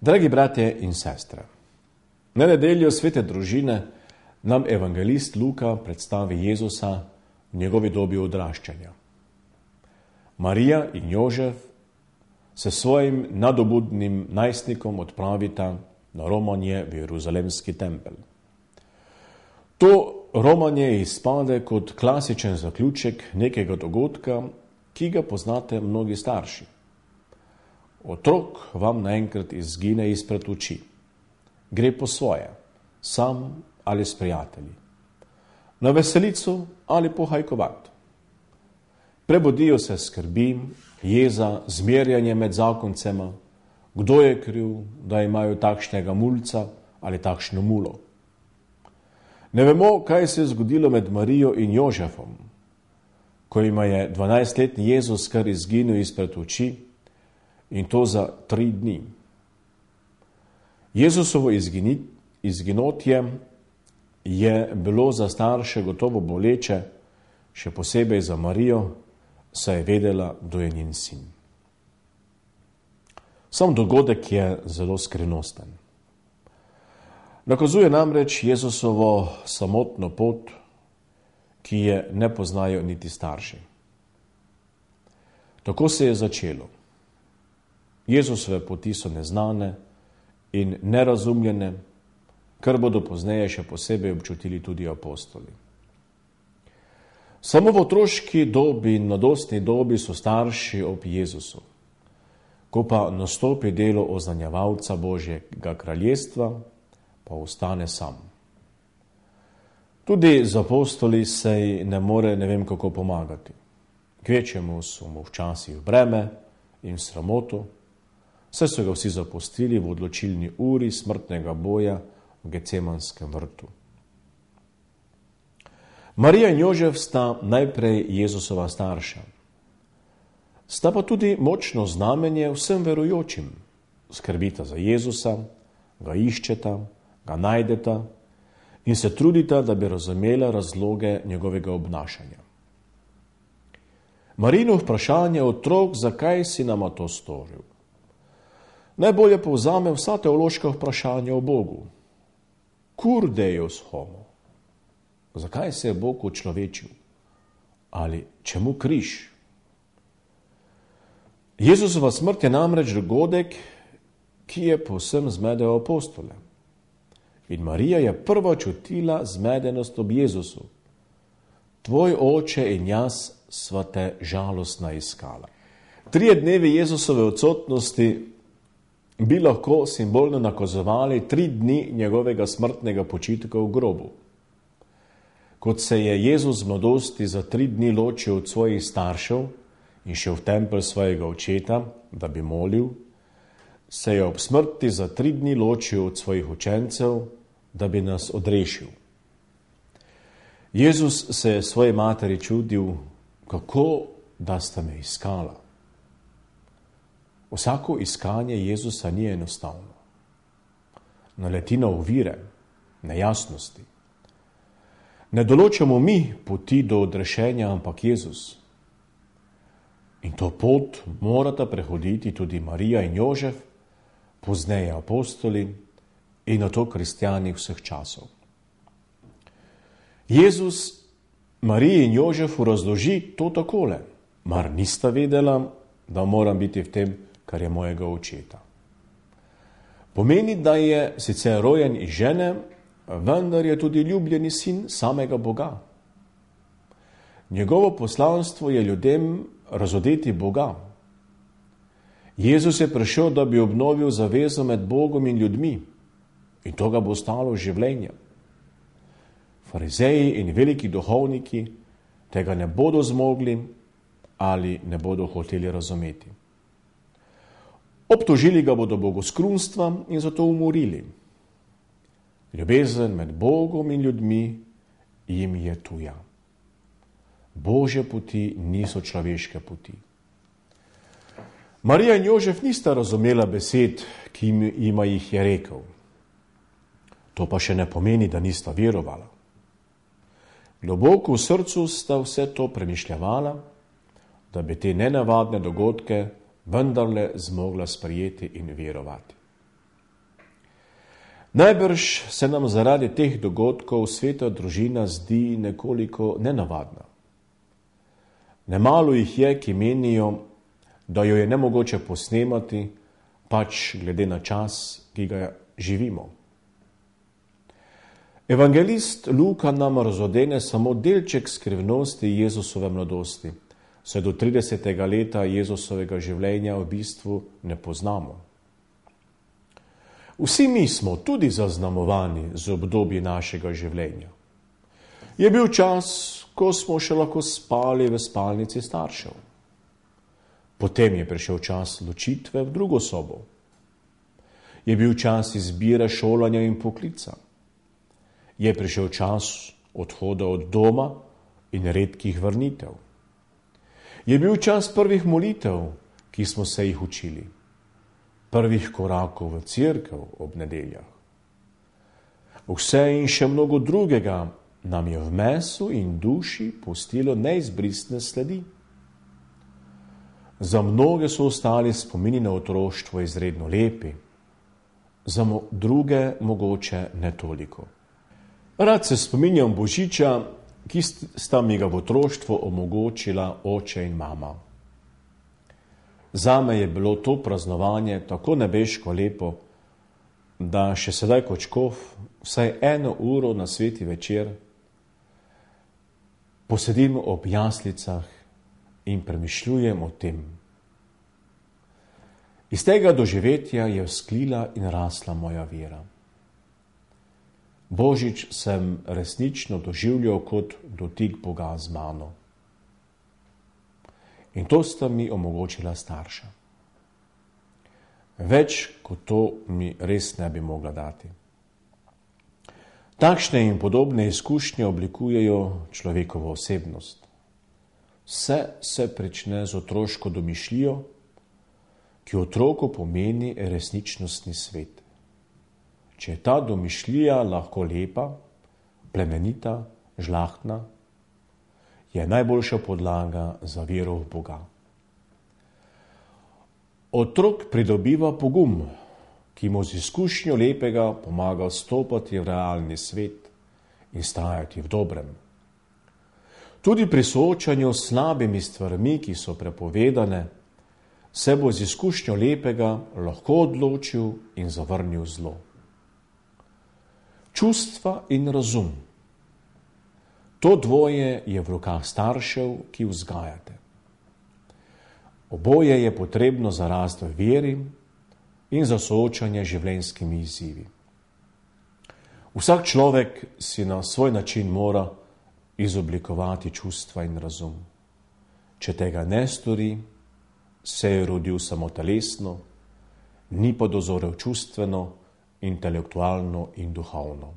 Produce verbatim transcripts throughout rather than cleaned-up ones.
Dragi bratje in sestre, na nedeljo svete družine nam evangelist Luka predstavi Jezusa v njegovi dobi odraščanja. Marija in Jožef se svojim nadobudnim najstnikom odpravita na romanje v Jeruzalemski tempelj. To romanje izpade kot klasičen zaključek nekega dogodka, ki ga poznate mnogi starši. Otrok vam naenkrat izgine izpred oči. Gre po svoje, sam ali s prijatelji. Na veselico ali pohajkovat. Prebudijo se skrbi, jeza, zmerjanje med zakoncema, kdo je kriv, da imajo takšnega mulca ali takšno mulo. Ne vemo, kaj se je zgodilo med Marijo in Jožefom, ko ima je dvanajstletni Jezus kar izginil izpred oči, in to za tri dni. Jezusovo izginotje je bilo za starše gotovo boleče, še posebej za Marijo, saj je vedela, kdo je njen sin. Sam dogodek je zelo skrivnosten. Nakazuje namreč Jezusovo samotno pot, ki je ne poznajo niti starši. Tako se je začelo. Jezusove poti so neznane in nerazumljene, kar bodo pozneje še posebej občutili tudi apostoli. Samo v otroški dobi in mladostni dobi so starši ob Jezusu. Ko pa nastopi delo oznanjevalca Božjega kraljestva, pa ostane sam. Tudi z apostoli se ne more ne vem kako pomagati. Kvečemu so mu včasih breme in sramoto, saj so ga vsi zapustili v odločilni uri smrtnega boja v Gecemanskem vrtu. Marija in Jožef sta najprej Jezusova starša. Sta pa tudi močno znamenje vsem verujočim. Skrbita za Jezusa, ga iščeta, ga najdeta in se trudita, da bi razumela razloge njegovega obnašanja. Marijino vprašanje otrok, zakaj si nama to storil, najbolje povzame vsa teološka vprašanja o Bogu. Cur Deus homo? Zakaj se je Bog učlovečil? Ali čemu križ? Jezusova smrt je namreč dogodek, ki je povsem zmedel apostole. In Marija je prva čutila zmedenost ob Jezusu. Tvoj oče in jaz sva te žalostna iskala. Trije dnevi Jezusove odsotnosti bi lahko simbolno nakazovali tri dni njegovega smrtnega počitka v grobu. Kot se je Jezus v mladosti za tri dni ločil od svojih staršev in šel v tempelj svojega očeta, da bi molil, se je ob smrti za tri dni ločil od svojih učencev, da bi nas odrešil. Jezus se je svoji materi čudil, kako da sta me iskala. Vsako iskanje Jezusa ni enostavno. Naleti na ovire, nejasnosti. Ne določamo mi poti do odrešenja, ampak Jezus. In to pot morata prehoditi tudi Marija in Jožef, pozneje apostoli in nato kristjani vseh časov. Jezus Mariji in Jožefu razloži to takole: mar nista vedela, da moram biti v tem, kar je mojega očeta. Pomeni, da je sicer rojen iz žene, vendar je tudi ljubljeni sin samega Boga. Njegovo poslanstvo je ljudem razodeti Boga. Jezus je prišel, da bi obnovil zavezo med Bogom in ljudmi, in to ga bo stalo življenja. Farizeji in veliki duhovniki tega ne bodo zmogli ali ne bodo hoteli razumeti. Obtožili ga bodo bogoskrunstva in zato umorili. Ljubezen med Bogom in ljudmi jim je tuja. Božje poti niso človeške poti. Marija in Jožef nista razumela besed, ki jima jih je rekel. To pa še ne pomeni, da nista verovala. Globoko v srcu sta vse to premišljavala, da bi te nenavadne dogodke vendarle zmogla sprejeti in verovati. Najbrž se nam zaradi teh dogodkov sveta družina zdi nekoliko nenavadna. Nemalo jih je, ki menijo, da jo je nemogoče posnemati, pač glede na čas, ki ga živimo. Evangelist Luka nam razodene samo delček skrivnosti Jezusove mladosti, saj do tridesetega leta Jezusovega življenja v bistvu ne poznamo. Vsi mi smo tudi zaznamovani z obdobji našega življenja. Je bil čas, ko smo še lahko spali v spalnici staršev. Potem je prišel čas ločitve v drugo sobo. Je bil čas izbire šolanja in poklica. Je prišel čas odhoda od doma in redkih vrnitev. Je bil čas prvih molitev, ki smo se jih učili, prvih korakov v cerkev ob nedeljah. Vse in še mnogo drugega nam je v mesu in duši pustilo neizbrisne sledi. Za mnoge so ostali spomini na otroštvo izredno lepi, za druge mogoče ne toliko. Rad se spominjam Božiča, ki sta mi ga v otroštvu omogočila oče in mama. Zame je bilo to praznovanje tako nebeško lepo, da še sedaj kot škof vsaj eno uro na sveti večer posedim ob jaslicah in premišljujem o tem. Iz tega doživetja je vzklila in rasla moja vera. Božič sem resnično doživljal kot dotik Boga z mano. In to sta mi omogočila starša. Več kot to mi res ne bi mogla dati. Takšne in podobne izkušnje oblikujejo človekovo osebnost. Vse se prične z otroško domišljijo, ki otroku pomeni resničnostni svet. Če je ta domišljija lahko lepa, plemenita, žlahtna, je najboljša podlaga za vero v Boga. Otrok pridobiva pogum, ki mu z izkušnjo lepega pomaga stopati v realni svet in stajati v dobrem. Tudi pri soočanju s slabimi stvarmi, ki so prepovedane, se bo z izkušnjo lepega lahko odločil in zavrnil zlo. Čustva in razum. To dvoje je v rokah staršev, ki vzgajate. Oboje je potrebno za rast v veri in za soočanje življenjskimi izzivi. Vsak človek si na svoj način mora izoblikovati čustva in razum. Če tega ne stori, se je rodil samo telesno, ni pa dozorel čustveno, intelektualno in duhovno.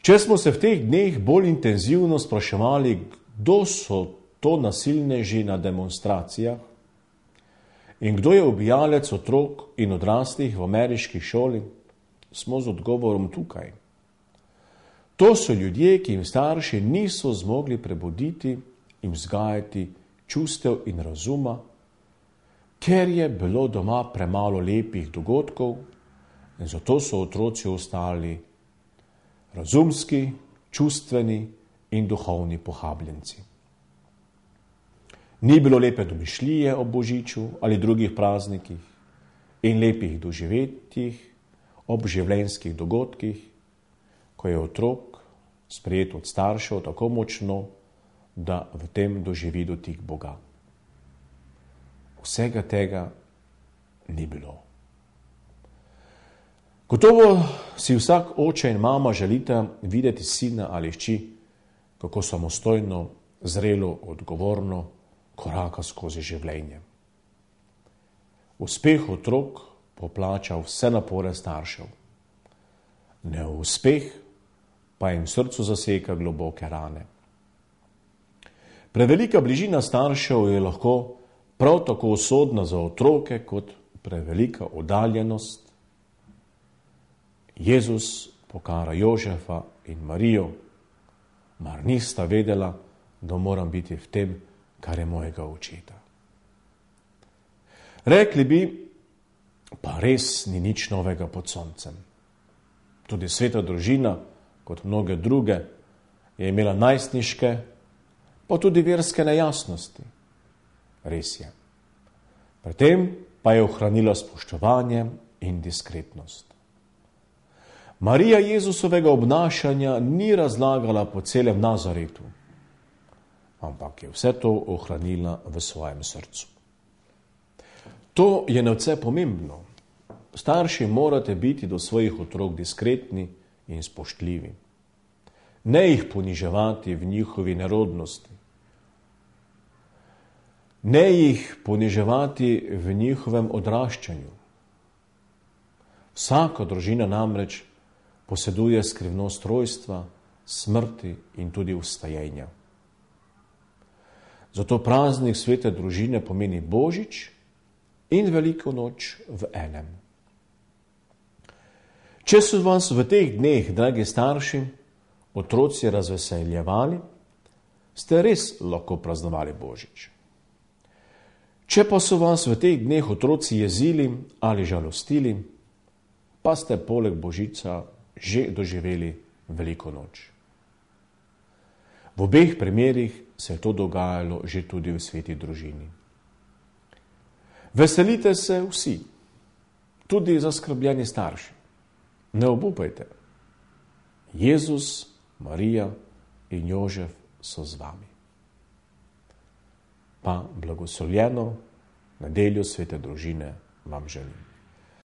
Če smo se v teh dneh bolj intenzivno spraševali, kdo so to nasilneži na demonstracijah in kdo je ubijalec otrok in odraslih v ameriški šoli, smo z odgovorom tukaj. To so ljudje, ki jim starši niso zmogli prebuditi in vzgajati čustev in razuma, ker je bilo doma premalo lepih dogodkov in zato so otroci ostali razumski, čustveni in duhovni pohabljenci. Ni bilo lepe domišljije ob Božiču ali drugih praznikih in lepih doživetjih ob življenjskih dogodkih, ko je otrok sprejet od staršev tako močno, da v tem doživi dotik Boga. Vsega tega ni bilo. Gotovo si vsak oče in mama želite videti sina ali hči, kako samostojno, zrelo, odgovorno koraka skozi življenje. Uspeh otrok poplača vse napore staršev. Neuspeh pa jim v srcu zaseka globoke rane. Prevelika bližina staršev je lahko prav tako usodna za otroke kot prevelika oddaljenost. Jezus pokara Jožefa in Marijo, mar nista vedela, da moram biti v tem, kar je mojega očeta. Rekli bi, pa res ni nič novega pod soncem. Tudi sveta družina, kot mnoge druge, je imela najstniške, pa tudi verske nejasnosti. Res je. Pri tem pa je ohranila spoštovanje in diskretnost. Marija Jezusovega obnašanja ni razlagala po celem Nazaretu, ampak je vse to ohranila v svojem srcu. To je nadvse pomembno. Starši morate biti do svojih otrok diskretni in spoštljivi. Ne jih poniževati v njihovi nerodnosti. Ne jih poniževati v njihovem odraščanju. Vsaka družina namreč poseduje skrivnost rojstva, smrti in tudi vstajenja. Zato praznik svete družine pomeni Božič in Veliko noč v enem. Če so vas v teh dneh, dragi starši, otroci razveseljevali, ste res lahko praznovali Božič. Če pa so vas v teh dneh otroci jezili ali žalostili, pa ste poleg Božica že doživeli Veliko noč. V obeh primerih se je to dogajalo že tudi v sveti družini. Veselite se vsi, tudi zaskrbljeni starši. Ne obupajte. Jezus, Marija in Jožef so z vami. Pa blagoslovljeno nedeljo svete družine vam želim.